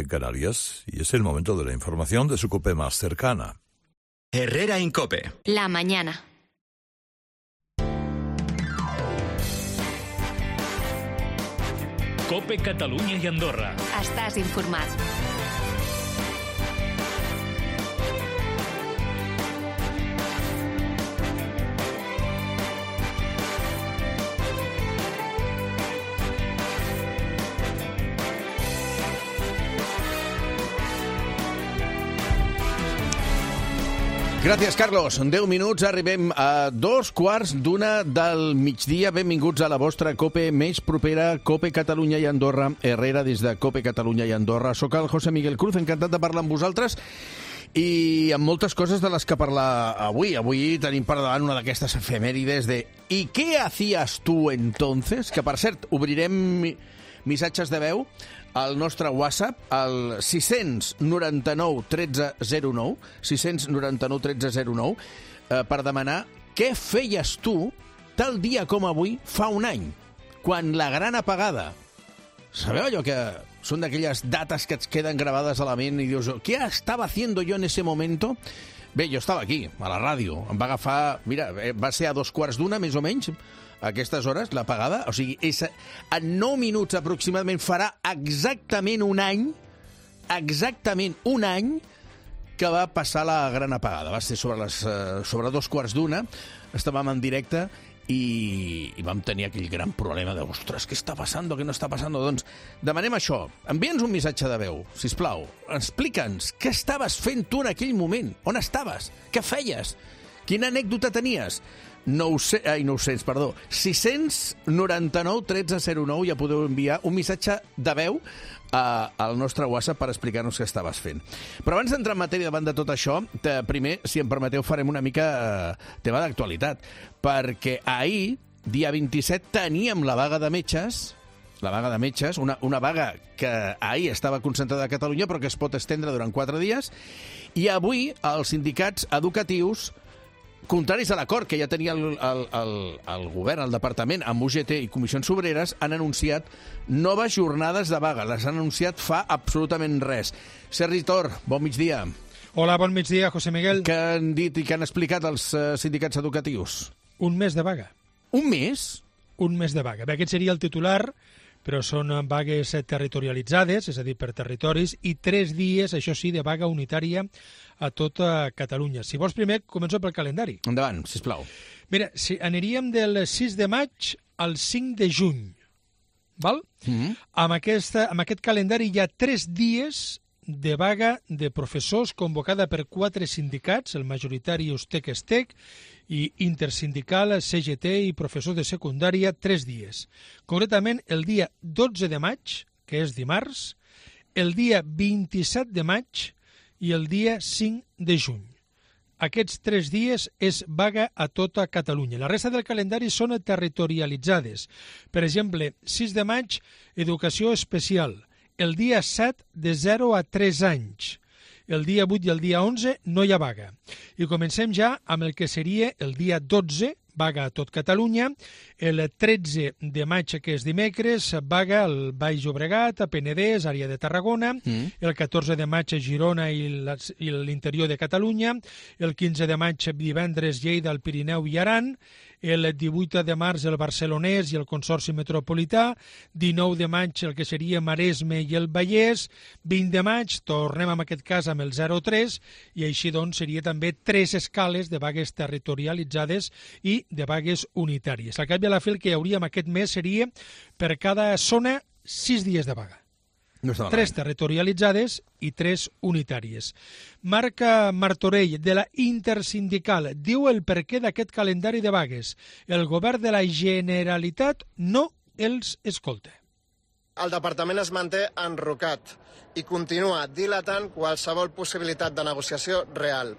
en Canarias, y es el momento de la información de su COPE más cercana. Herrera en COPE. La mañana. COPE Catalunya i Andorra. Estàs informat. Gràcies, Carlos. En 10 minuts arribem a 2:15 del migdia. Benvinguts a la vostra COPE més propera, COPE Catalunya i Andorra. Herrera des de COPE Catalunya i Andorra. Soc el José Miguel Cruz, encantat de parlar amb vosaltres i amb moltes coses de les que parlar avui. Avui tenim per davant una d'aquestes efemèrides de ¿Y qué hacías tú entonces? Que, per cert, obrirem missatges de veu al nostre WhatsApp, al 699 1309, 699 1309, per demanar què feies tu tal dia com avui fa un any, quan la gran apagada. Sabeu allò que són d'aquelles dates que et queden gravades a la ment i dius, ¿qué estaba haciendo yo en ese momento? Bé, jo estava aquí, a la ràdio. Em va agafar, mira, va ser a 2:15, més o menys, a aquestes hores, l'apagada. O sigui, en 9 minuts aproximadament farà exactament un any que va passar la gran apagada. Va ser sobre 2:15, estàvem en directe i vam tenir aquell gran problema de, ostres, què està passant, què no està passant? Doncs demanem això, envia'ns un missatge de veu, sisplau, explica'ns què estaves fent tu en aquell moment, on estaves, què feies, quina anècdota tenies. 699 1309, ja podeu enviar un missatge de veu al nostre WhatsApp per explicar-nos què estaves fent. Però abans d'entrar en matèria davant de tot això, primer, si em permeteu, farem una mica tema d'actualitat, perquè ahir, dia 27, teníem la vaga de metges, una vaga que ahir estava concentrada a Catalunya però que es pot estendre durant 4 dies, i avui els sindicats educatius, contraris a l'acord que ja tenia el govern, el departament, amb UGT i Comissions Obreres, han anunciat noves jornades de vaga. Les han anunciat fa absolutament res. Sergi Tor, bon migdia. Hola, bon migdia, José Miguel. Què han dit i què han explicat els sindicats educatius? Un mes de vaga. Un mes? Un mes de vaga. Bé, aquest seria el titular, però són vagues territorialitzades, és a dir, per territoris, i 3 dies, això sí, de vaga unitària a tota Catalunya. Si vols, primer, començo pel calendari. Endavant, sisplau. Mira, aniríem del 6 de maig al 5 de juny, val? Amb aquest calendari hi ha 3 dies de vaga de professors convocada per 4 sindicats, el majoritari USTEC-ESTEC i intersindical CGT i professors de secundària, 3 dies. Concretament, el dia 12 de maig, que és dimarts, el dia 27 de maig i el dia 5 de juny. Aquests 3 dies és vaga a tota Catalunya. La resta del calendari són territorialitzades. Per exemple, 6 de maig, educació especial. El dia 7, de 0 a 3 anys. El dia 8 i el dia 11 no hi ha vaga. I comencem ja amb el que seria el dia 12, vaga a tot Catalunya. El 13 de maig, que és dimecres, vaga al Baix Llobregat, a Penedès, àrea de Tarragona. El 14 de maig a Girona i l'interior de Catalunya. El 15 de maig, divendres, Lleida, el Pirineu i Aran. El 18 de març el Barcelonès i el Consorci Metropolità, 19 de maig el que seria Maresme i el Vallès, 20 de maig tornem en aquest cas amb el 03 i així doncs seria també 3 escales de vagues territorialitzades i de vagues unitàries. Al cap i a la fi el que hi hauria en aquest mes seria per cada zona 6 dies de vaga. No 3 territorialitzades i 3 unitàries. Marca Martorell, de la Intersindical, diu el perquè d'aquest calendari de vagues. El govern de la Generalitat no els escolta. El departament es manté enrocat i continua dilatant qualsevol possibilitat de negociació real.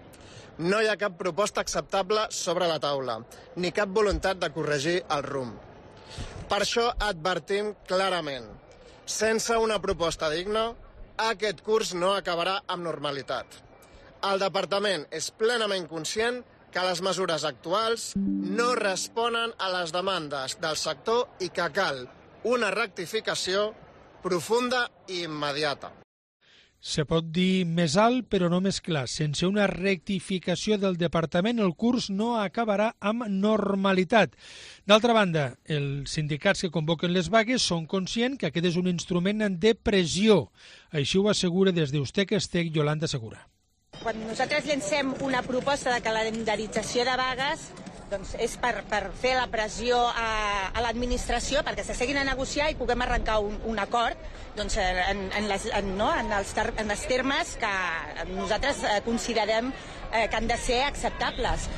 No hi ha cap proposta acceptable sobre la taula, ni cap voluntat de corregir el rumb. Per això advertim clarament. Sense una proposta digna, aquest curs no acabarà amb normalitat. El departament és plenament conscient que les mesures actuals no responen a les demandes del sector i que cal una rectificació profunda i immediata. se pot dir més alt però no més clar. Sense una rectificació del departament el curs no acabarà amb normalitat. D'altra banda, els sindicats que convoquen les vagues són conscients que aquest és un instrument de pressió. Així ho assegura des d'Ustec Estec Yolanda Segura. Quan nosaltres llancem una proposta de calendarització de vagues, doncs és per fer la pressió a l'administració perquè s'asseguin a negociar i puguem arrencar un acord doncs, en els termes que nosaltres considerem que han de ser acceptables.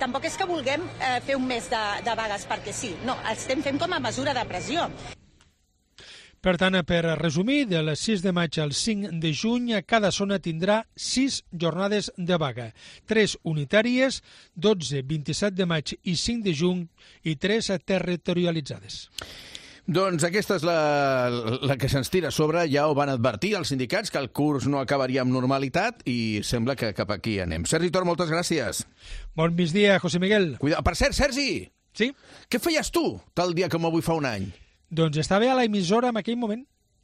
Tampoc és que vulguem fer un mes de vagues perquè sí, no, estem fent com a mesura de pressió. Per tant, per resumir, del 6 de maig al 5 de juny, cada zona tindrà 6 jornades de vaga. 3 unitàries, 12, 27 de maig i 5 de juny i 3 territorialitzades. Doncs aquesta és la que se'ns tira a sobre. Ja ho van advertir els sindicats, que el curs no acabaria amb normalitat i sembla que cap aquí anem. Sergi Tor, moltes gràcies. Bon migdia, José Miguel. Cuida. Per cert, Sergi! Sí? Què feies tu tal dia com avui fa un any? Doncs estava a l'emissora en aquell moment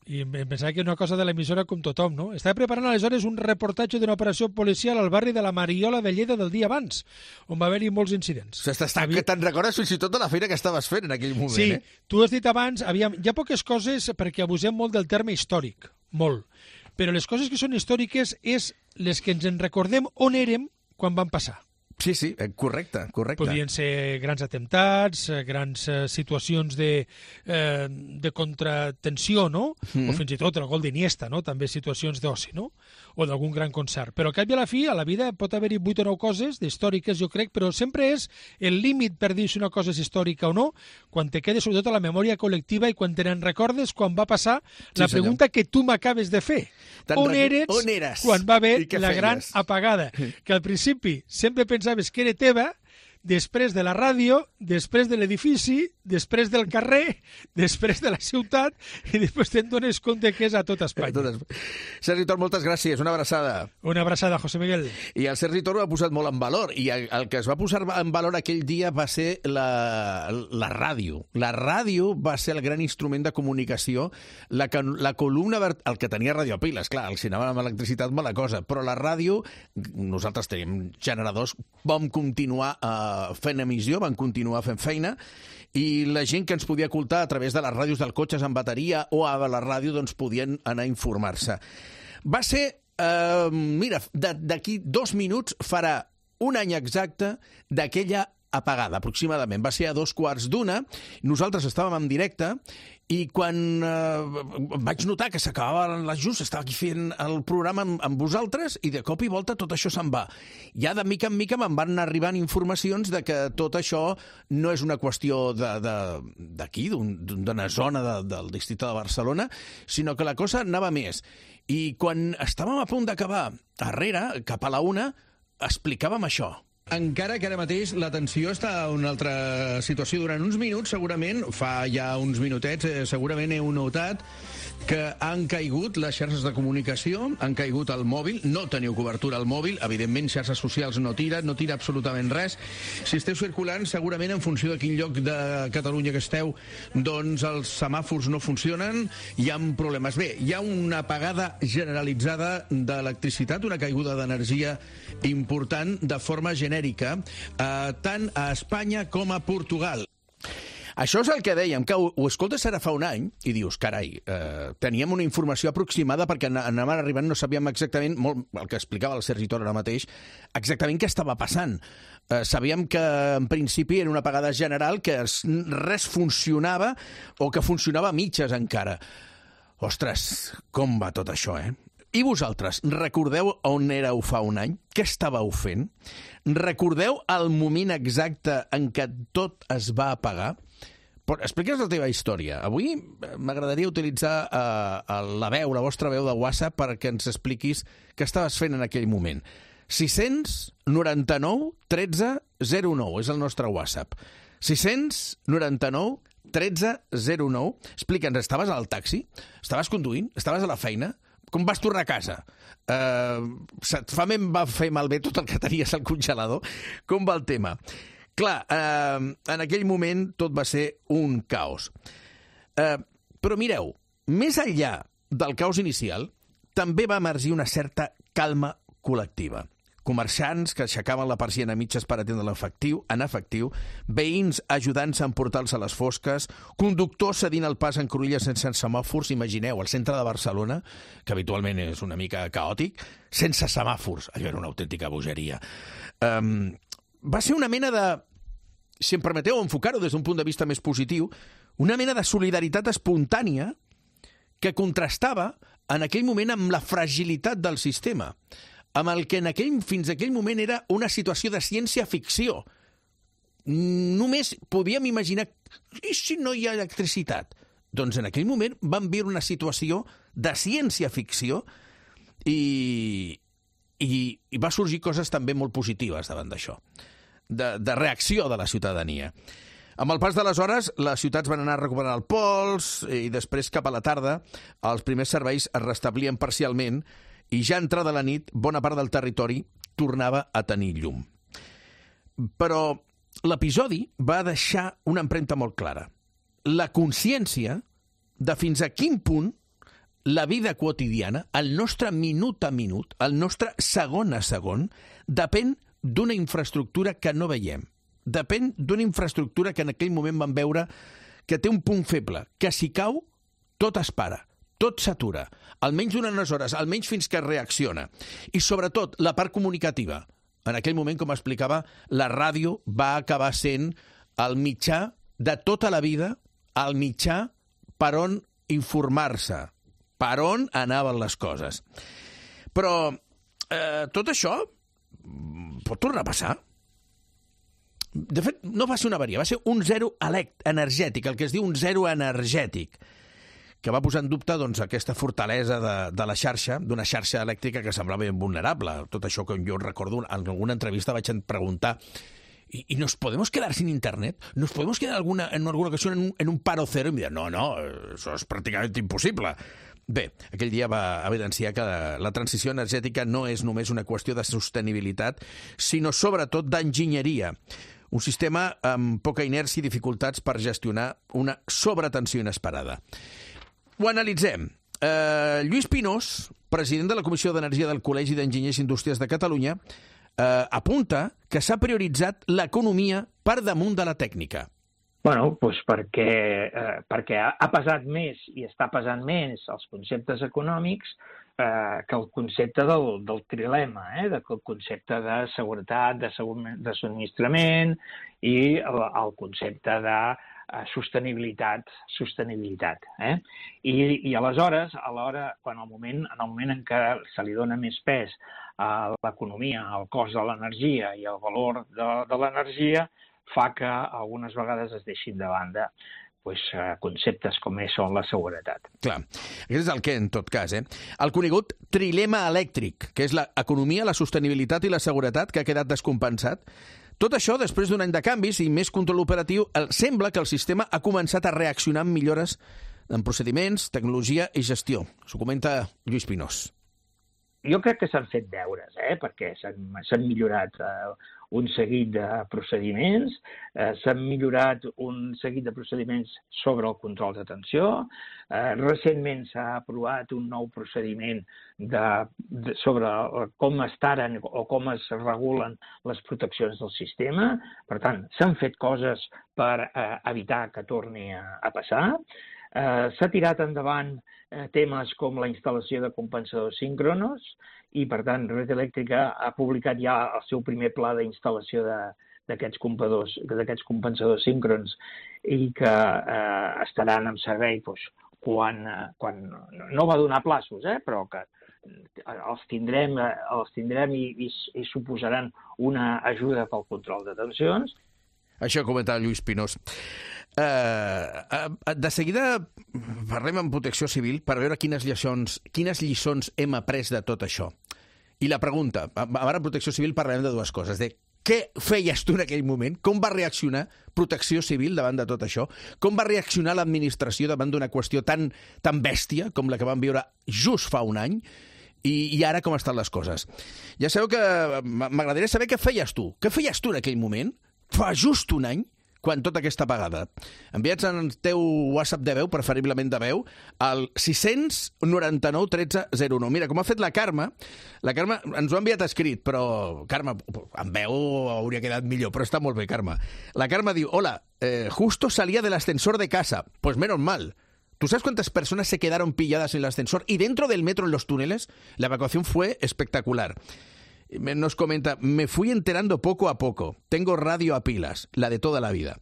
i em pensava que era una cosa de l'emissora com tothom, no? Estava preparant aleshores un reportatge d'una operació policial al barri de la Mariola de Lleida del dia abans, on va haver-hi molts incidents. Que te'n recordes fins i tot de la feina que estaves fent en aquell moment, sí, tu has dit abans, hi ha poques coses perquè abusem molt del terme històric, molt, però les coses que són històriques és les que ens en recordem on érem quan van passar. Sí, correcte. Podrien ser grans atemptats, grans situacions de contratensió, no? O fins i tot el gol d'Iniesta, no? També situacions d'oci, no? O d'algun gran concert. Però al cap i a la fi, a la vida pot haver-hi 8 o 9 coses històriques, jo crec, però sempre és el límit per dir si una cosa és històrica o no, quan te quedes sobretot a la memòria col·lectiva i quan te n'en recordes quan va passar la pregunta que tu m'acabes de fer. On eres quan va haver la gran apagada? Que al principi sempre pensaves que era teva, després de la ràdio, després de l'edifici, després del carrer, després de la ciutat, i després te'n dones compte que és a tot Espanya. Sergi Tor, moltes gràcies. Una abraçada. Una abraçada, José Miguel. I el Sergi Tor ho ha posat molt en valor, i el que es va posar en valor aquell dia va ser la ràdio. La ràdio va ser el gran instrument de comunicació, la columna, el que tenia radiopiles, clar, el cinema amb electricitat, mala cosa, però la ràdio, nosaltres tenim generadors, vam continuar fent emissió, van continuar fent feina, i la gent que ens podia escoltar a través de les ràdios dels cotxes amb bateria o a la ràdio doncs podien anar a informar-se. Va ser, mira, d'aquí 2 minuts farà un any exacte d'aquella apagada, aproximadament. Va ser a 2:15. Nosaltres estàvem en directe i quan vaig notar que s'acabava l'ajust, estava aquí fent el programa amb vosaltres i de cop i volta tot això se'n va. Ja de mica en mica me'n van anar arribant informacions de que tot això no és una qüestió d'aquí, d'una zona del districte de Barcelona, sinó que la cosa anava més. I quan estàvem a punt d'acabar, darrere, cap a la 1, explicàvem això. Encara que ara mateix la tensió està en una altra situació. Durant uns minuts, segurament, fa ja uns minutets, segurament heu notat que han caigut les xarxes de comunicació, han caigut el mòbil, no teniu cobertura al mòbil, evidentment xarxes socials no tira absolutament res. Si esteu circulant, segurament en funció de quin lloc de Catalunya que esteu, doncs els semàfors no funcionen, hi ha problemes. Bé, hi ha una apagada generalitzada d'electricitat, una caiguda d'energia important de forma genèrica, tant a Espanya com a Portugal. Això és el que dèiem, que ho escoltes ara fa un any i dius, carai, teníem una informació aproximada perquè anàvem arribant, no sabíem exactament, molt, el que explicava el Sergi Tor ara mateix, exactament què estava passant. Sabíem que en principi era una apagada general, que res funcionava o que funcionava a mitges encara. Ostres, com va tot això, eh? I vosaltres, recordeu on éreu fa un any? Què estàveu fent? Recordeu el moment exacte en què tot es va apagar? Explica'ns la teva història. Avui m'agradaria utilitzar la vostra veu de WhatsApp perquè ens expliquis què estaves fent en aquell moment. 699 13 09 és el nostre WhatsApp. 699 13 09. Explica'ns, estaves al taxi? Estaves conduint? Estaves a la feina? Com vas tornar a casa? Va fer malbé tot el que tenies al congelador? Com va el tema? Clar, en aquell moment tot va ser un caos. Però mireu, més enllà del caos inicial, també va emergir una certa calma col·lectiva. Comerciants que aixecaven la persiana a mitges per atendre en efectiu, veïns ajudant-se a emportar-se a les fosques, conductors cedint el pas en cruïlles sense semàfors, imagineu, al centre de Barcelona, que habitualment és una mica caòtic, sense semàfors. Allò era una autèntica bogeria. Va ser una mena de, si em permeteu enfocar-ho des d'un punt de vista més positiu, una mena de solidaritat espontània que contrastava en aquell moment amb la fragilitat del sistema, amb el que fins a aquell moment era una situació de ciència-ficció. Només podíem imaginar, i si no hi ha electricitat? Doncs en aquell moment vam viure una situació de ciència-ficció i va sorgir coses també molt positives davant d'això, de reacció de la ciutadania. Amb el pas de les hores, les ciutats van anar recuperant el pols i després, cap a la tarda, els primers serveis es restablien parcialment i ja entrada la nit, bona part del territori tornava a tenir llum. Però l'episodi va deixar una empremta molt clara. La consciència de fins a quin punt la vida quotidiana, el nostre minut a minut, el nostre segon a segon, depèn d'una infraestructura que no veiem. Depèn d'una infraestructura que en aquell moment vam veure que té un punt feble, que si cau, tot es para. Tot s'atura, almenys durant unes hores, almenys fins que reacciona. I sobretot, la part comunicativa. En aquell moment, com explicava, la ràdio va acabar sent el mitjà de tota la vida, el mitjà per on informar-se, per on anaven les coses. Però tot això pot tornar a passar. De fet, no va ser una avaria, va ser un zero energètic, el que es diu un zero energètic, que va posar en dubte doncs, aquesta fortalesa de la xarxa, d'una xarxa elèctrica que semblava invulnerable. Tot això que jo recordo, en alguna entrevista vaig preguntar ¿y nos podemos quedar sin internet? ¿Nos podemos quedar en alguna ocasión en un paro cero? I em deia, no, això és pràcticament impossible. Bé, aquell dia va evidenciar que la transició energètica no és només una qüestió de sostenibilitat, sinó sobretot d'enginyeria. Un sistema amb poca inèrcia i dificultats per gestionar una sobretensió inesperada. Ho analitzem. Lluís Pinós, president de la Comissió d'Energia del Col·legi d'Enginyers Industrials de Catalunya, apunta que s'ha prioritzat l'economia per damunt de la tècnica. Bueno, doncs perquè ha pesat més i està pesant més els conceptes econòmics que el concepte del trilema, el concepte de seguretat, de subministrament i el concepte de sostenibilitat. I aleshores, en el moment en què se li dona més pes a l'economia, al cost de l'energia i al valor de l'energia, fa que algunes vegades es deixin de banda conceptes com són la seguretat. Clar, aquest és el què, en tot cas. El conegut trilema elèctric, que és l'economia, la sostenibilitat i la seguretat, que ha quedat descompensat. Tot això, després d'un any de canvis i més control operatiu, sembla que el sistema ha començat a reaccionar amb millores en procediments, tecnologia i gestió. S'ho comenta Lluís Pinós. Jo crec que s'han fet deures, perquè s'han millorat un seguit de procediments, s'han millorat un seguit de procediments sobre el control de tensió, recentment s'ha aprovat un nou procediment sobre com es taren o com es regulen les proteccions del sistema. Per tant, s'han fet coses per evitar que torni a passar. S'ha tirat endavant temes com la instal·lació de compensadors síncronos i, per tant, Red Eléctrica ha publicat ja el seu primer pla d'instal·lació d'aquests compensadors síncrons i que estaran en servei quan no va donar plaços, però que els tindrem i suposaran una ajuda pel control de tensions. Això comentava Lluís Pinós. De seguida parlem amb Protecció Civil per veure quines lliçons hem après de tot això. I la pregunta, ara a Protecció Civil parlarem de dues coses, de què feies tu en aquell moment, com va reaccionar Protecció Civil davant de tot això, com va reaccionar l'administració davant d'una qüestió tan bèstia com la que vam viure just fa un any, i ara com estan les coses. Ja sabeu que m'agradaria saber què feies tu en aquell moment, fa just un any, quan tota aquesta apagada. Enviats en el teu WhatsApp de veu, preferiblement de veu, al 699 13 01. Mira, com ha fet la Carme ens ho ha enviat escrit, però, Carme, en veu hauria quedat millor, però està molt bé, Carme. La Carme diu, hola, justo salía del ascensor de casa. Pues menos mal. ¿Tú sabes cuántas personas se quedaron pilladas en el ascensor? Y dentro del metro, en los túneles, la evacuación fue espectacular. Nos comenta, me fui enterando poco a poco. Tengo radio a pilas, la de toda la vida.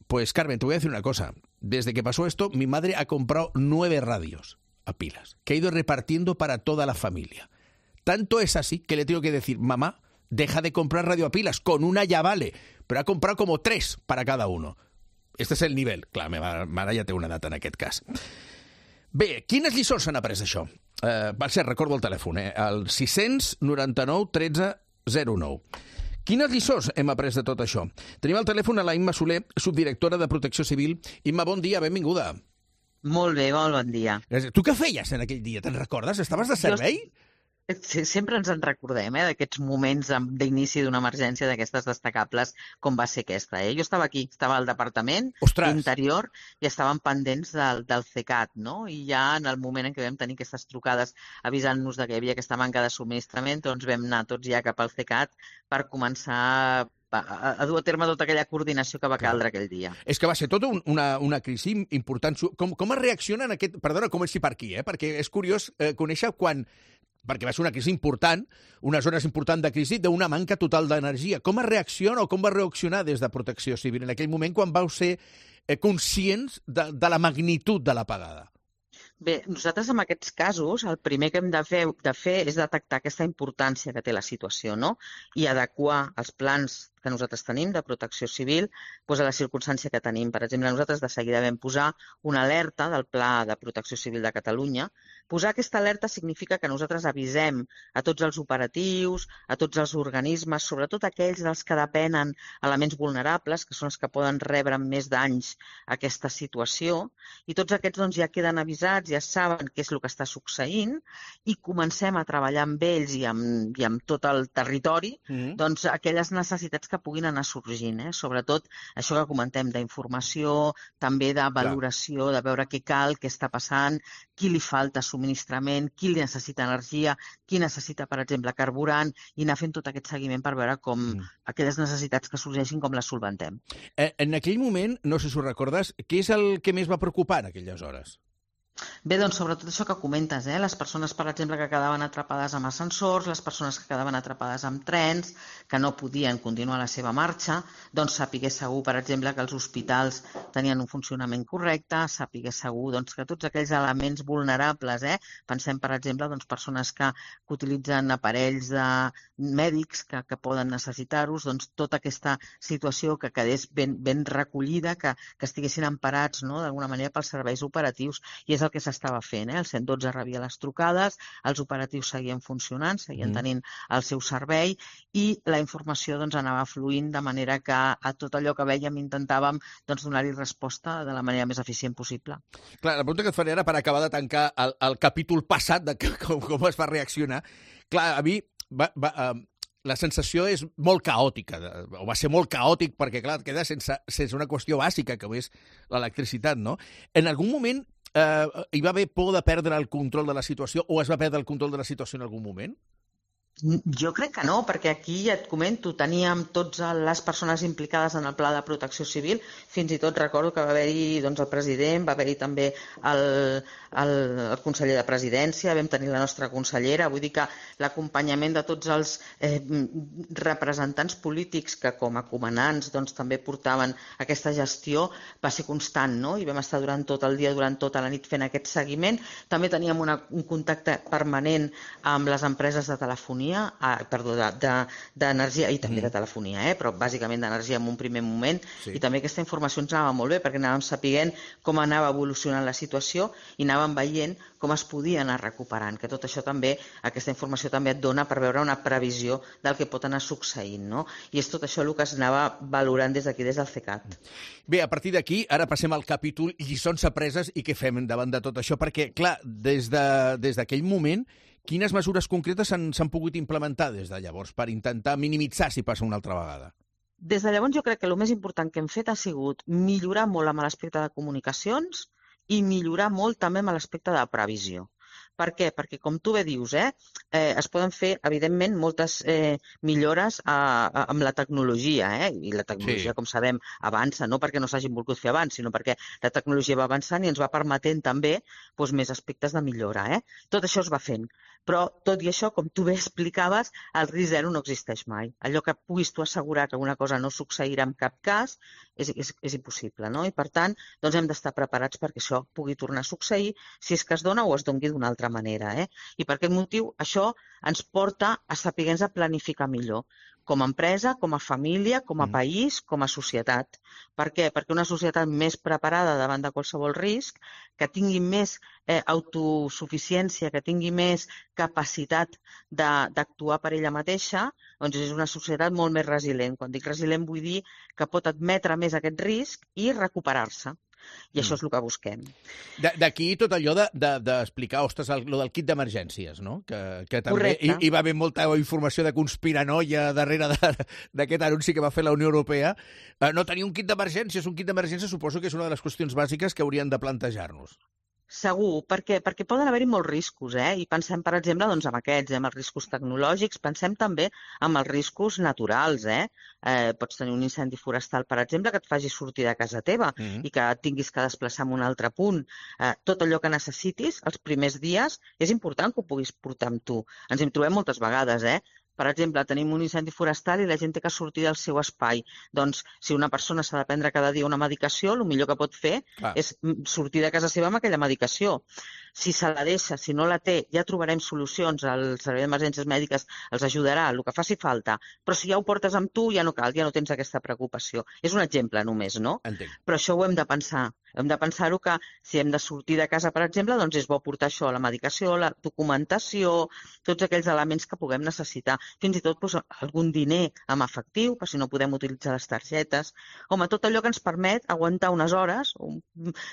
Pues, Carmen, te voy a decir una cosa. Desde que pasó esto, mi madre ha comprado 9 radios a pilas, que ha ido repartiendo para toda la familia. Tanto es así que le tengo que decir, mamá, deja de comprar radio a pilas, con una ya vale, pero ha comprado como 3 para cada uno. Este és el nivell. Clar, meva mare ja té una data en aquest cas. Bé, quines lliçons s'han après d'això? Per cert, recordo el telèfon, el 699 13 09. Quines lliçons hem après de tot això? Tenim al telèfon a la Imma Soler, subdirectora de Protecció Civil. Imma, bon dia, benvinguda. Molt bé, molt bon dia. Tu què feies en aquell dia? Te'n recordes? Estaves de servei? Sempre ens en recordem, d'aquests moments d'inici d'una emergència d'aquestes destacables com va ser aquesta. Jo estava aquí, estava al Departament d'Interior i estàvem pendents del CECAT, no? I ja en el moment en què vam tenir aquestes trucades avisant-nos que hi havia aquesta manca de subministrament, doncs vam anar tots ja cap al CECAT per començar a dur a terme tota aquella coordinació que va caldre aquell dia. És que va ser tota una crisi important. Com es reacciona en aquest... Perdona, comenci per aquí, perquè és curiós conèixer quan... perquè va ser una crisi important, unes zones importants de crisi, d'una manca total d'energia. Com es reacciona o com va reaccionar des de Protecció Civil en aquell moment quan vau ser conscients de la magnitud de l'apagada? Bé, nosaltres en aquests casos el primer que hem de fer és detectar aquesta importància que té la situació, no? I adequar els plans que nosaltres tenim de protecció civil a la circumstància que tenim. Per exemple, nosaltres de seguida vam posar una alerta del Pla de Protecció Civil de Catalunya. Posar aquesta alerta significa que nosaltres avisem a tots els operatius, a tots els organismes, sobretot aquells dels que depenen elements vulnerables, que són els que poden rebre amb més danys aquesta situació, i tots aquests ja queden avisats, ja saben què és el que està succeint, i comencem a treballar amb ells i amb tot el territori aquelles necessitats que puguin anar sorgint, sobretot això que comentem d'informació, també de valoració, de veure què cal, què està passant, qui li falta subministrament, qui li necessita energia, qui necessita, per exemple, carburant, i anar fent tot aquest seguiment per veure com aquelles necessitats que sorgeixin com les solventem. En aquell moment, no sé si ho recordes, què és el que més va preocupar en aquelles hores? Bé, doncs sobretot això que comentes, les persones, per exemple, que quedaven atrapades amb ascensors, les persones que quedaven atrapades amb trens, que no podien continuar la seva marxa, doncs sapiguer segur, per exemple, que els hospitals tenien un funcionament correcte, sapiguer segur que tots aquells elements vulnerables, pensem, per exemple, persones que utilitzen aparells mèdics que poden necessitar-los, doncs tota aquesta situació que quedés ben recollida, que estiguessin emparats d'alguna manera pels serveis operatius, i és el que s'estava fent. El 112 rebia les trucades, els operatius seguien funcionant, seguien tenint el seu servei i la informació anava fluint de manera que a tot allò que vèiem intentàvem donar-hi resposta de la manera més eficient possible. Clar, la pregunta que et faré ara per acabar de tancar el capítol passat de com es va reaccionar. Clar, a mi la sensació és molt caòtica, o va ser molt caòtic perquè, clar, et queda sense una qüestió bàsica, que és l'electricitat, no? En algun moment hi va haver por de perdre el control de la situació o es va perdre el control de la situació en algun moment? Jo crec que no, perquè aquí ja et comento, teníem totes les persones implicades en el Pla de Protecció Civil, fins i tot recordo que va haver-hi el president, va haver-hi també el conseller de Presidència, vam tenir la nostra consellera, vull dir que l'acompanyament de tots els representants polítics que com a comandants també portaven aquesta gestió va ser constant, no? I vam estar durant tot el dia, durant tota la nit fent aquest seguiment. També teníem un contacte permanent amb les empreses de telefonia, d'energia i també de telefonia, però bàsicament d'energia en un primer moment, i també aquesta informació ens anava molt bé perquè anàvem sapient com anava evolucionant la situació i anàvem veient com es podia anar recuperant, que tot això també, aquesta informació també et dona per veure una previsió del que pot anar succeint, no? I és tot això el que es anava valorant des d'aquí, des del CECAT. Bé, a partir d'aquí, ara passem al capítol lliçons apreses i què fem davant de tot això, perquè, clar, des d'aquell moment, quines mesures concretes s'han pogut implementar des de llavors per intentar minimitzar si passa una altra vegada? Des de llavors jo crec que el més important que hem fet ha sigut millorar molt amb l'aspecte de comunicacions i millorar molt també amb l'aspecte de previsió. Per què? Perquè, com tu bé dius, es poden fer, evidentment, moltes millores amb la tecnologia, i la tecnologia, com sabem, avança, no perquè no s'hagin volgut fer abans, sinó perquè la tecnologia va avançant i ens va permetent també més aspectes de millora. Tot això es va fent. Però, tot i això, com tu bé explicaves, el risc zero no existeix mai. Allò que puguis tu assegurar que una cosa no succeirà en cap cas és impossible, no? I, per tant, doncs hem d'estar preparats perquè això pugui tornar a succeir, si és que es dona o es doni d'una altra manera. I per aquest motiu això ens porta a saber-nos a planificar millor, com a empresa, com a família, com a país, com a societat. Per què? Perquè una societat més preparada davant de qualsevol risc, que tingui més autosuficiència, que tingui més capacitat d'actuar per ella mateixa, doncs és una societat molt més resilient. Quan dic resilient vull dir que pot admetre més aquest risc i recuperar-se. I això és el que busquem. D'aquí tot allò d'explicar, ostres, el del kit d'emergències, no? Que també hi va haver molta informació de conspiranoia darrere d'aquest anunci que va fer la Unió Europea. No tenir un kit d'emergències, suposo que és una de les qüestions bàsiques que hauríem de plantejar-nos. Segur, perquè poden haver-hi molts riscos, i pensem, per exemple, doncs, en aquests, en els riscos tecnològics, pensem també en els riscos naturals. Pots tenir un incendi forestal, per exemple, que et faci sortir de casa teva i que et tinguis que desplaçar a un altre punt. Tot allò que necessitis, els primers dies, és important que ho puguis portar amb tu. Ens hi trobem moltes vegades, Per exemple, tenim un incendi forestal i la gent té que sortir del seu espai. Doncs, si una persona s'ha de prendre cada dia una medicació, el millor que pot fer és sortir de casa seva amb aquella medicació. Si se la deixa, si no la té, ja trobarem solucions. El Servei d'Emergències Mèdiques els ajudarà, el que faci falta. Però si ja ho portes amb tu, ja no cal, ja no tens aquesta preocupació. És un exemple només, no? Entenc. Però això ho hem de pensar. Hem de pensar-ho que si hem de sortir de casa, per exemple, doncs és bo portar això, la medicació, la documentació, tots aquells elements que puguem necessitar. Fins i tot algun diner amb efectiu, per si no podem utilitzar les targetes. Home, tot allò que ens permet aguantar unes hores.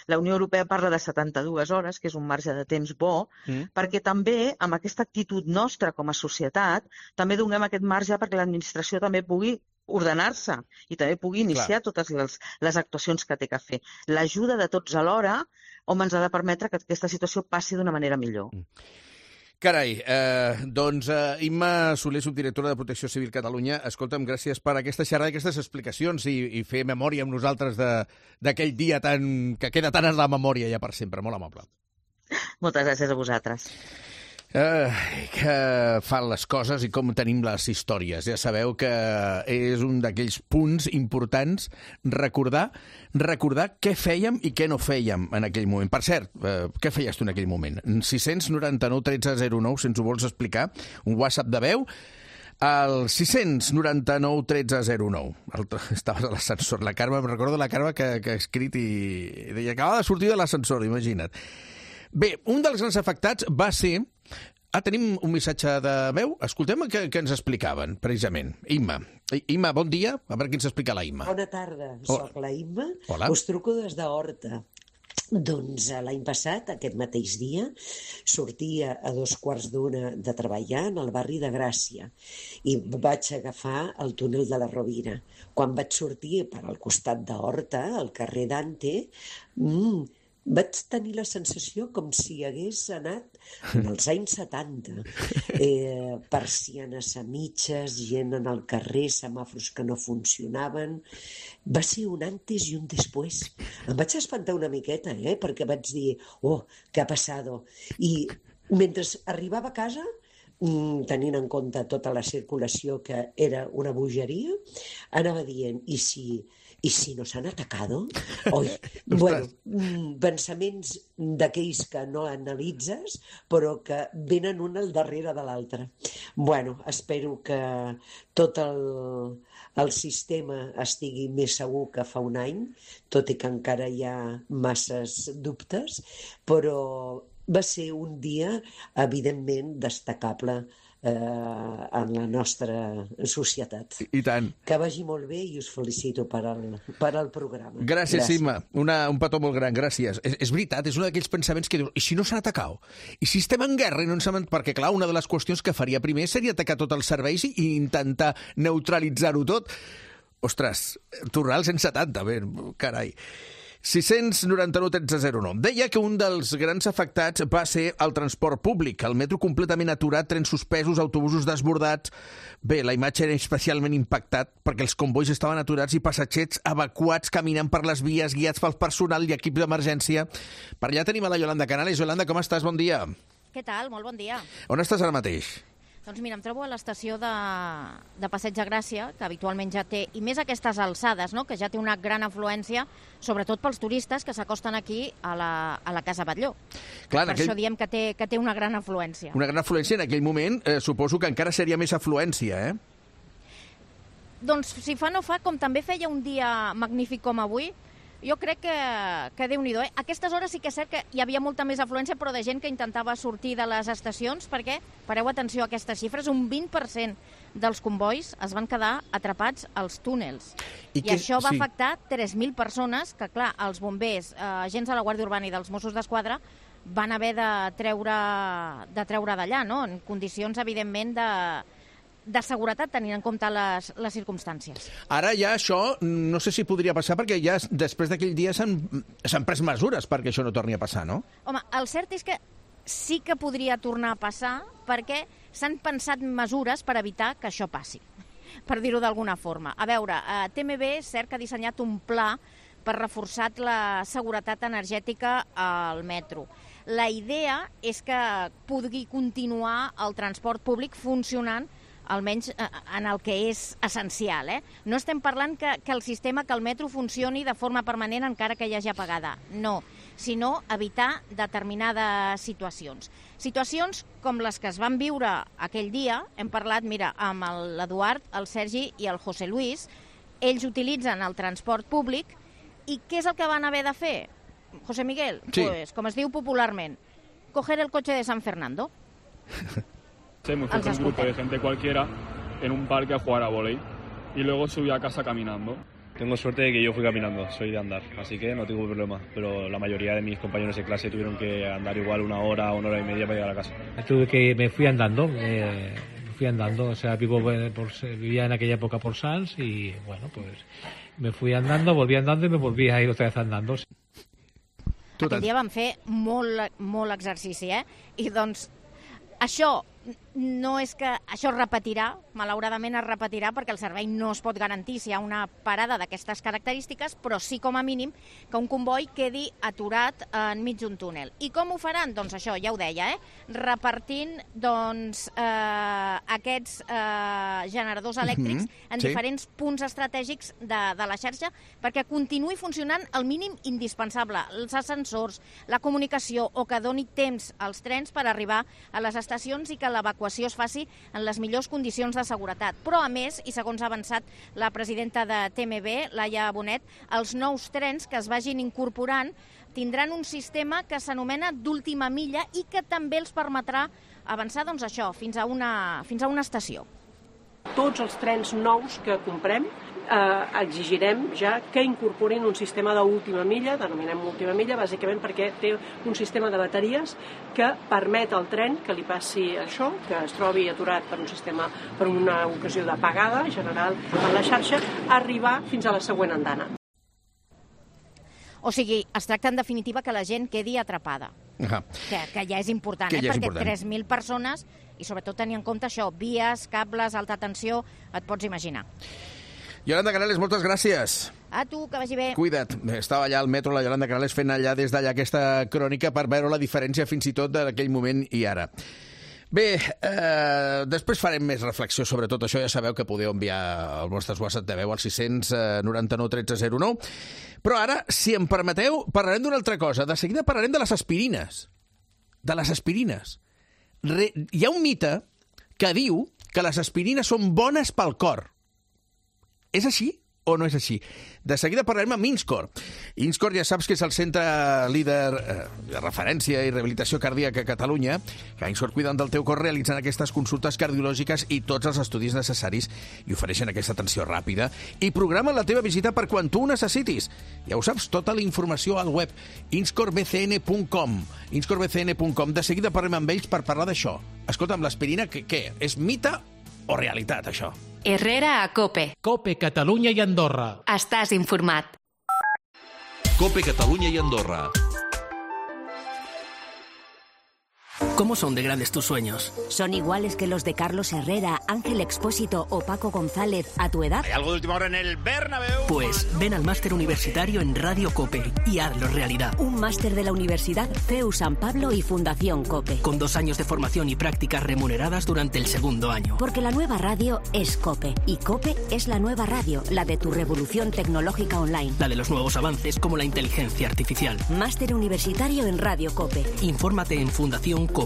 La Unió Europea parla de 72 hores, que és un marge de temps bo, perquè també, amb aquesta actitud nostra com a societat, també donem aquest marge perquè l'administració també pugui ordenar-se i també pugui iniciar totes les actuacions que té que fer. L'ajuda de tots alhora, ens ha de permetre que aquesta situació passi d'una manera millor. Carai, doncs Imma Soler, subdirectora de Protecció Civil Catalunya, escolta'm, gràcies per aquesta xerrada i aquestes explicacions i fer memòria amb nosaltres d'aquell dia que queda tan en la memòria ja per sempre. Molt amable. Moltes gràcies a vosaltres. Que fan les coses i com tenim les històries. Ja sabeu que és un d'aquells punts importants recordar què fèiem i què no fèiem en aquell moment. Per cert, què feies tu en aquell moment? 699 13 09, si ens ho vols explicar, un WhatsApp de veu, al 699 13 09. Estaves a l'ascensor. La Carme, em recordo la Carme que ha escrit i deia que acaba de sortir de l'ascensor, imagina't. Bé, un dels grans afectats va ser... tenim un missatge de veu. Escoltem què ens explicaven, precisament. Imma, bon dia. A veure què ens explica la Imma. Bona tarda, soc la Imma. Hola. Us truco des d'Horta. Doncs l'any passat, aquest mateix dia, sortia a 2:15 de treballar en el barri de Gràcia i vaig agafar el túnel de la Rovira. Quan vaig sortir per al costat d'Horta, al carrer Dante, vaig tenir la sensació com si hagués anat en els anys 70. Persianes a mitges, gent en el carrer, semàfors que no funcionaven. Va ser un antes i un després. Em vaig espantar una miqueta, perquè vaig dir, què ha passat? I mentre arribava a casa, tenint en compte tota la circulació, que era una bogeria, anava dient, i si nos han atacado? Bueno, pensaments d'aquells que no analitzes, però que venen un al darrere de l'altre. Bueno, espero que tot el sistema estigui més segur que fa un any, tot i que encara hi ha masses dubtes, però va ser un dia, evidentment, destacable en la nostra societat. I tant. Que vagi molt bé i us felicito per al programa. Gràcies, Imma. Un petó molt gran, gràcies. És veritat, és un d'aquells pensaments que dius, i si no s'han atacat? I si estem en guerra i no ens hem... Perquè, clar, una de les qüestions que faria primer seria atacar tots els serveis i intentar neutralitzar-ho tot. Ostres, tornar als 170, bé, carai. 699-1309. Deia que un dels grans afectats va ser el transport públic. El metro completament aturat, trens suspesos, autobusos desbordats. Bé, la imatge era especialment impactat perquè els convois estaven aturats i passatgers evacuats caminant per les vies, guiats pel personal i equips d'emergència. Per allà tenim a la Yolanda Canales. Yolanda, com estàs? Bon dia. Què tal? Molt bon dia. On estàs ara mateix? Doncs mira, em trobo a l'estació de Passeig de Gràcia, que habitualment ja té, i més aquestes alçades, no?, que ja té una gran afluència, sobretot pels turistes que s'acosten aquí a la Casa Batlló. Clar, això diem que té una gran afluència. Una gran afluència. En aquell moment suposo que encara seria més afluència, eh? Doncs si fa no fa, com també feia un dia magnífic com avui, jo crec que Déu-n'hi-do. A aquestes hores sí que és cert que hi havia molta més afluència, però de gent que intentava sortir de les estacions, perquè, pareu atenció a aquestes xifres, un 20% dels convois es van quedar atrapats als túnels. I això va afectar 3.000 persones que, clar, els bombers, agents de la Guàrdia Urbana i dels Mossos d'Esquadra van haver de treure d'allà, no?, en condicions, evidentment, de seguretat, tenint en compte les circumstàncies. Ara ja això no sé si podria passar, perquè ja després d'aquell dia s'han pres mesures perquè això no torni a passar, no? Home, el cert és que sí que podria tornar a passar perquè s'han pensat mesures per evitar que això passi, per dir-ho d'alguna forma. A veure, TMB és cert que ha dissenyat un pla per reforçar la seguretat energètica al metro. La idea és que pugui continuar el transport públic funcionant almenys en el que és essencial. No estem parlant que el sistema, que el metro funcioni de forma permanent encara que hi hagi apagada. No, sinó evitar determinades situacions. Situacions com les que es van viure aquell dia. Hem parlat, mira, amb l'Eduard, el Sergi i el José Luis. Ells utilitzen el transport públic i què és el que van haver de fer? José Miguel, sí. Pues, com es diu popularment, coger el cotxe de San Fernando. Me fui con un grupo de gente cualquiera en un parque a jugar a vóley y luego subí a casa caminando. Tengo suerte de que yo fui caminando, soy de andar, así que no tengo problema, pero la mayoría de mis compañeros de clase tuvieron que andar igual una hora y media para llegar a casa. Me fui andando, o sea, vivía en aquella época por Sants y bueno, pues me fui andando, volví andando y me volví a ir otra vez andando. Aquell dia vam fer molt exercici, I doncs això no és que això es repetirà, malauradament es repetirà perquè el servei no es pot garantir si hi ha una parada d'aquestes característiques, però sí com a mínim que un comboi quedi aturat enmig d'un túnel. I com ho faran? Doncs això, ja ho deia, repartint aquests generadors elèctrics en diferents punts estratègics de la xarxa perquè continuï funcionant el mínim indispensable, els ascensors, la comunicació, o que doni temps als trens per arribar a les estacions i que l'evacuació es faci en les millors condicions de seguretat. Però, a més, i segons ha avançat la presidenta de TMB, Laia Bonet, els nous trens que es vagin incorporant tindran un sistema que s'anomena d'última milla i que també els permetrà avançar, doncs això, fins a una estació. Tots els trens nous que comprem exigirem ja que incorporin un sistema d'última milla, denominem última milla, bàsicament perquè té un sistema de bateries que permet al tren que li passi això, que es trobi aturat per una ocasió d'apagada general en la xarxa, arribar fins a la següent andana. O sigui, es tracta en definitiva que la gent quedi atrapada. Que ja és important, perquè 3.000 persones, i sobretot tenir en compte això, vies, cables, alta tensió, et pots imaginar. Yolanda Canales, moltes gràcies. A tu, que vagi bé. Cuida't. Estava allà al metro, la Yolanda Canales, fent allà des d'allà aquesta crònica per veure la diferència fins i tot d'aquell moment i ara. Bé, després farem més reflexió sobre tot això. Ja sabeu que podeu enviar els vostres WhatsApp de veu al 699 1309. Però ara, si em permeteu, parlarem d'una altra cosa. De seguida parlarem de les aspirines. De les aspirines. Hi ha un mite que diu que les aspirines són bones pel cor. És així o no és així? De seguida parlarem amb Inscor. Inscor ja saps que és el centre líder de referència i rehabilitació cardíaca a Catalunya, que Inscor cuiden del teu cor realitzant aquestes consultes cardiològiques i tots els estudis necessaris i ofereixen aquesta atenció ràpida i programen la teva visita per quan tu ho necessitis. Ja ho saps, tota la informació al web inscorbcn.com. inscorbcn.com. De seguida parlem amb ells per parlar d'això. Escolta, amb l'aspirina, què? És mite o realitat, això? Herrera a COPE. COPE Catalunya i Andorra. Estàs informat. COPE Catalunya y Andorra. ¿Cómo son de grandes tus sueños? ¿Son iguales que los de Carlos Herrera, Ángel Expósito o Paco González a tu edad? ¿Hay algo de última hora en el Bernabéu? Pues ven al máster universitario en Radio COPE y hazlo realidad. Un máster de la Universidad CEU San Pablo y Fundación COPE. Con 2 años de formación y prácticas remuneradas durante el 2º año. Porque la nueva radio es COPE. Y COPE es la nueva radio, la de tu revolución tecnológica online. La de los nuevos avances como la inteligencia artificial. Máster universitario en Radio COPE. Infórmate en fundacioncope.com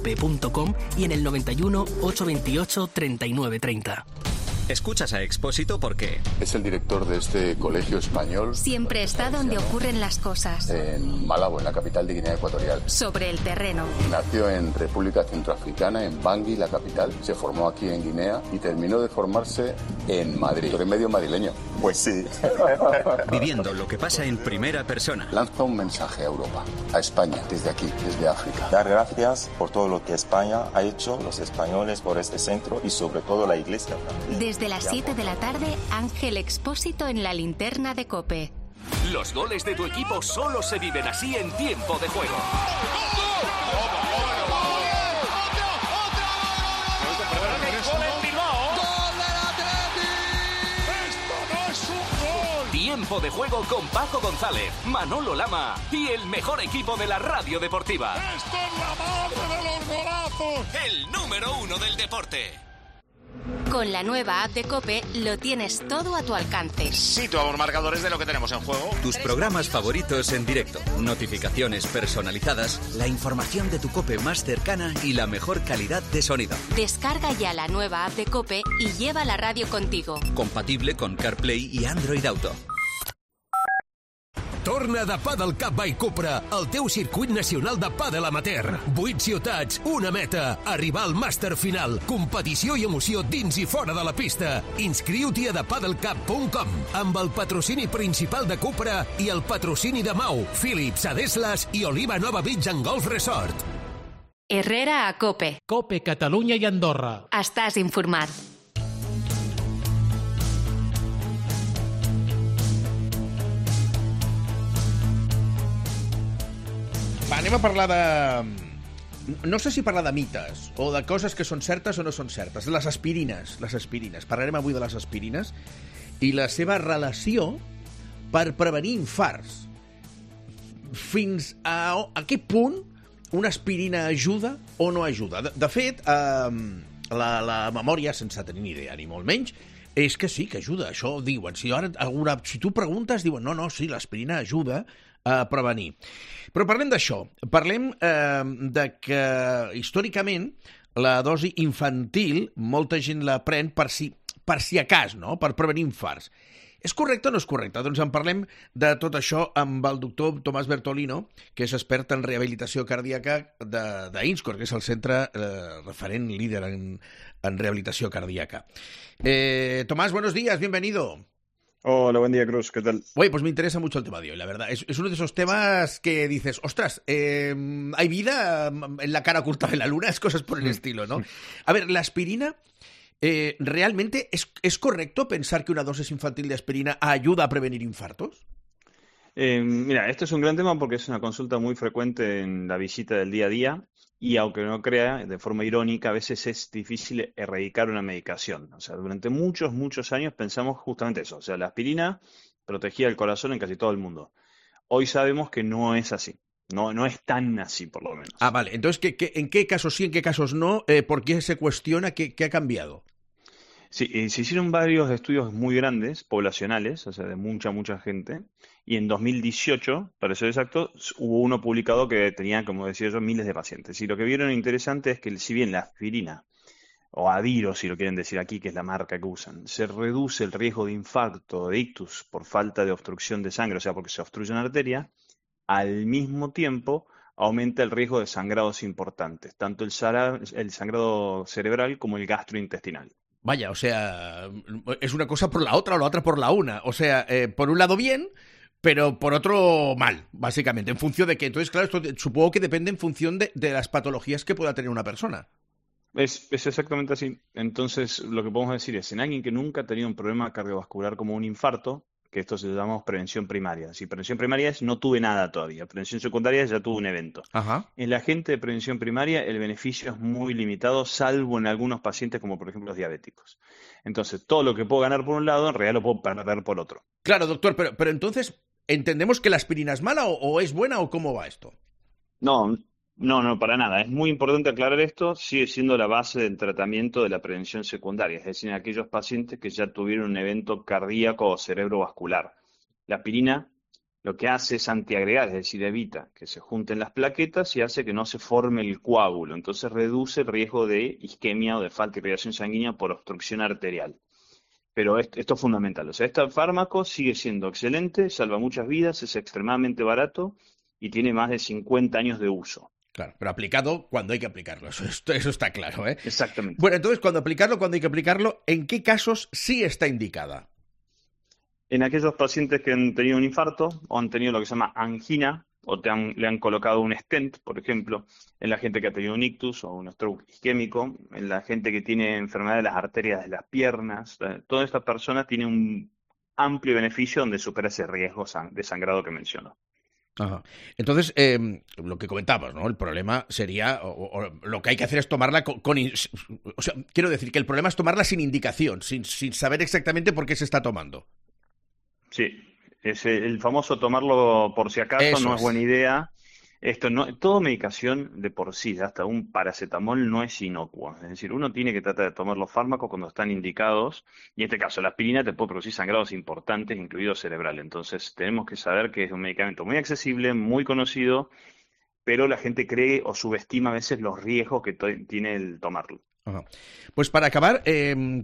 y en el 91 828 3930. Escuchas a Expósito porque es el director de este colegio español. Siempre está donde ocurren las cosas. En Malabo, en la capital de Guinea Ecuatorial. Sobre el terreno. Nació en República Centroafricana, en Bangui, la capital. Se formó aquí en Guinea y terminó de formarse en Madrid. ¿Tú eres medio madrileño? Pues sí. Viviendo lo que pasa en primera persona. Lanza un mensaje a Europa, a España, desde aquí, desde África. Dar gracias por todo lo que España ha hecho, los españoles, por este centro y sobre todo la Iglesia. Desde las 7 de la tarde, Ángel Expósito en la linterna de COPE. Los goles de tu equipo solo se viven así en tiempo de juego. Tiempo de juego con Paco González, Manolo Lama y el mejor equipo de la radio deportiva. ¡Esto es la madre de los golazos! El número 1 del deporte. Con la nueva app de COPE lo tienes todo a tu alcance. Situamos marcadores de lo que tenemos en juego. Tus programas favoritos en directo, notificaciones personalizadas, la información de tu COPE más cercana y la mejor calidad de sonido. Descarga ya la nueva app de COPE y lleva la radio contigo. Compatible con CarPlay i Android Auto. Torna de Padel Cup by Cupra, el teu circuit nacional de pàdel amateur. 8 ciutats, una meta, arribar al màster final. Competició i emoció dins i fora de la pista. Inscriu-t'hi a thepadelcup.com amb el patrocini principal de Cupra i el patrocini de Mau, Philips, Adeslas i Oliva Nova Beach and Golf Resort. Herrera a COPE. COPE Catalunya i Andorra. Estàs informat. Va, anem a parlar de... No sé si parlar de mites o de coses que són certes o no són certes. Les aspirines. Parlarem avui de les aspirines i la seva relació per prevenir infarts. Fins a què punt una aspirina ajuda o no ajuda? De fet, la memòria, sense tenir ni idea, ni molt menys, és que sí, que ajuda. Això diuen. Si tu preguntes, diuen no, sí, l'aspirina ajuda a prevenir. Però parlem d'això. Parlem de que, històricament, la dosi infantil, molta gent la pren per si a cas, no? Per prevenir infarts. És correcte o no és correcte? Doncs en parlem de tot això amb el doctor Tomàs Bertolino, que és expert en rehabilitació cardíaca d'Inscor, que és el centre referent líder en rehabilitació cardíaca. Tomás, buenos días, bienvenido. Hola, buen día, Cruz, ¿qué tal? Oye, pues me interesa mucho el tema de hoy, la verdad. Es uno de esos temas que dices, ostras, ¿hay vida en la cara oculta de la luna? Es cosas por el estilo, ¿no? A ver, la aspirina, ¿realmente es correcto pensar que una dosis infantil de aspirina ayuda a prevenir infartos? Mira, esto es un gran tema porque es una consulta muy frecuente en la visita del día a día. Y aunque no crea, de forma irónica, a veces es difícil erradicar una medicación. O sea, durante muchos años pensamos justamente eso. O sea, la aspirina protegía el corazón en casi todo el mundo. Hoy sabemos que no es así. No es tan así, por lo menos. Ah, vale. Entonces, ¿en qué casos sí, en qué casos no? ¿Por qué se cuestiona? ¿Qué ha cambiado? Sí, se hicieron varios estudios muy grandes, poblacionales, o sea, de mucha gente. Y en 2018, para ser exacto, hubo uno publicado que tenía, como decía yo, miles de pacientes. Y lo que vieron interesante es que si bien la aspirina, o Adiro, si lo quieren decir aquí, que es la marca que usan, se reduce el riesgo de infarto, de ictus, por falta de obstrucción de sangre, o sea, porque se obstruye una arteria, al mismo tiempo aumenta el riesgo de sangrados importantes, tanto el sangrado cerebral como el gastrointestinal. Vaya, o sea, es una cosa por la otra o la otra por la una. O sea, por un lado bien, pero por otro mal, básicamente, en función de que, entonces, claro, esto supongo que depende en función de las patologías que pueda tener una persona. Es exactamente así. Entonces, lo que podemos decir es, en alguien que nunca ha tenido un problema cardiovascular como un infarto, que esto se llama prevención primaria. Si prevención primaria es no tuve nada todavía, prevención secundaria ya tuve un evento. Ajá. En la gente de prevención primaria el beneficio es muy limitado, salvo en algunos pacientes como por ejemplo los diabéticos. Entonces, todo lo que puedo ganar por un lado, en realidad lo puedo perder por otro. Claro, doctor, pero entonces, ¿entendemos que la aspirina es mala o es buena o cómo va esto? No, para nada. Es muy importante aclarar esto. Sigue siendo la base del tratamiento de la prevención secundaria, es decir, en aquellos pacientes que ya tuvieron un evento cardíaco o cerebrovascular. La aspirina lo que hace es antiagregar, es decir, evita que se junten las plaquetas y hace que no se forme el coágulo. Entonces reduce el riesgo de isquemia o de falta de irrigación sanguínea por obstrucción arterial. Pero esto es fundamental. O sea, este fármaco sigue siendo excelente, salva muchas vidas, es extremadamente barato y tiene más de 50 años de uso. Claro, pero aplicado cuando hay que aplicarlo, eso está claro, ¿eh? Exactamente. Bueno, entonces, cuando hay que aplicarlo, ¿en qué casos sí está indicada? En aquellos pacientes que han tenido un infarto o han tenido lo que se llama angina o le han colocado un stent, por ejemplo, en la gente que ha tenido un ictus o un stroke isquémico, en la gente que tiene enfermedad de las arterias de las piernas, todas estas personas tienen un amplio beneficio donde supera ese riesgo de sangrado que menciono. Ajá. Entonces, lo que comentabas, ¿no? El problema sería, o lo que hay que hacer es tomarla o sea, quiero decir que el problema es tomarla sin indicación, sin saber exactamente por qué se está tomando. Sí, es el famoso tomarlo por si acaso. Eso no es buena idea. Toda medicación de por sí, hasta un paracetamol, no es inocuo. Es decir, uno tiene que tratar de tomar los fármacos cuando están indicados, y en este caso la aspirina te puede producir sangrados importantes, incluido cerebral. Entonces tenemos que saber que es un medicamento muy accesible, muy conocido, pero la gente cree o subestima a veces los riesgos que tiene el tomarlo. Ajá. Pues para acabar,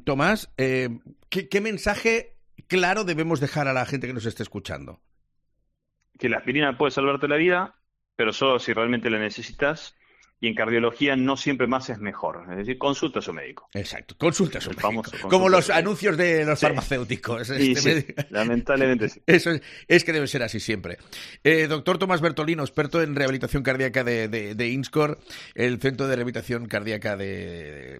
Tomás, ¿qué mensaje claro debemos dejar a la gente que nos esté escuchando? Que la aspirina puede salvarte la vida, pero solo si realmente la necesitas, y en cardiología no siempre más es mejor. Es decir, consulta a su médico. Exacto, consulta a su médico. Como los anuncios de los farmacéuticos. Sí, lamentablemente sí. Eso es que debe ser así siempre. Doctor Tomás Bertolino, experto en rehabilitación cardíaca de INSCOR, el Centro de Rehabilitación Cardíaca de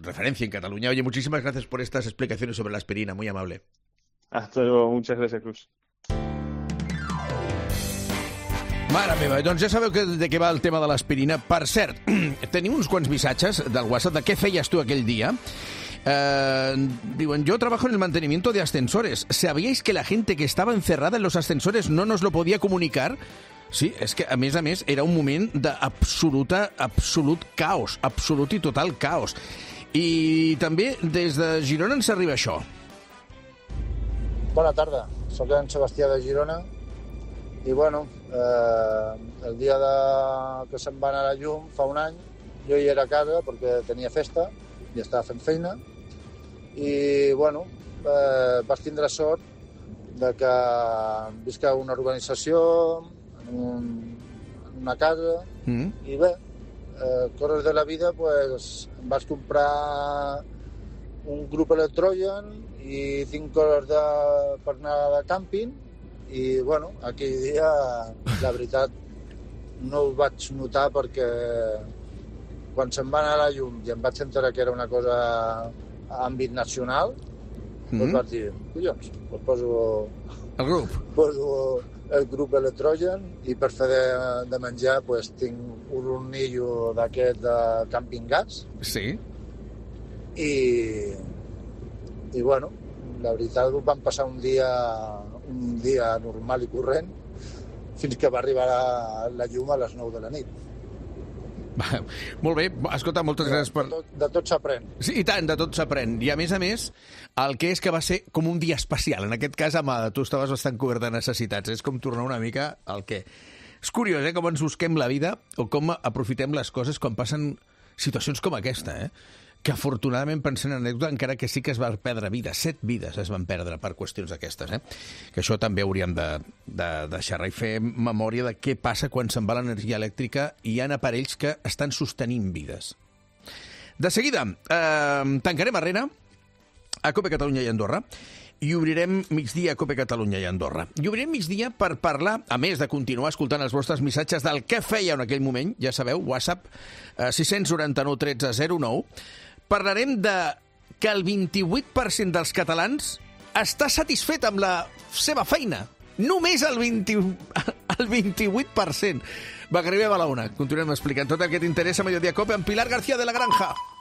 referencia en Cataluña. Oye, muchísimas gracias por estas explicaciones sobre la aspirina, muy amable. Hasta luego, muchas gracias, Cruz. Mare meva, doncs ja sabeu de què va el tema de l'aspirina. Per cert, tenim uns quants missatges del WhatsApp de què feies tu aquell dia. Diuen, yo trabajo en el mantenimiento de ascensores. ¿Sabíais que la gente que estaba encerrada en los ascensores no nos lo podía comunicar? Sí, és que, a més, era un moment absolut caos, absolut i total caos. I també des de Girona ens arriba això. Bona tarda, soc en Sebastià de Girona i, bueno, el dia que se'n va anar a la llum fa un any, jo hi era a casa perquè tenia festa i estava fent feina i, bueno, vaig tindre sort de que visc a una organització, en una casa, i bé, coses de la vida, pues, em vaig comprar un grup electrogen i 5 hores per anar de càmping i, bueno, aquell dia, la veritat, no ho vaig notar perquè quan se'n va anar a la llum i em vaig enterar que era una cosa a àmbit nacional, doncs vaig dir, collons, doncs poso el grup electrogen i per fer de menjar pues, tinc un hornillo d'aquest de camping gas. Sí. I bueno, la veritat vam passar un dia normal i corrent fins que va arribar la llum a les 9 de la nit. Molt bé, escolta, moltes gràcies per... De tot s'aprèn. Sí, i tant, de tot s'aprèn. I a més, el que és que va ser com un dia especial. En aquest cas, Amada, tu estaves bastant cobert de necessitats. És com tornar una mica al que... És curiós, com ens busquem la vida o com aprofitem les coses quan passen situacions com aquesta, que afortunadament, pensant en anècdota, encara que sí que es va perdre vides, 7 vides es van perdre per qüestions d'aquestes, que això també hauríem de deixar i fer memòria de què passa quan se'n va l'energia elèctrica i hi ha aparells que estan sostenint vides. De seguida, tancarem arrena a COPE Catalunya i Andorra i obrirem migdia a Cope Catalunya i Andorra. I obrirem migdia per parlar, a més de continuar escoltant els vostres missatges del que fèieu en aquell moment, ja sabeu, WhatsApp 699 13 09, parlarem de que el 28% dels catalans està satisfet amb la seva feina. Només el 28%. Va, que arribem a la una. Continuem explicant tot el que t'interessa a Mediodía Cope amb Pilar García de la Granja.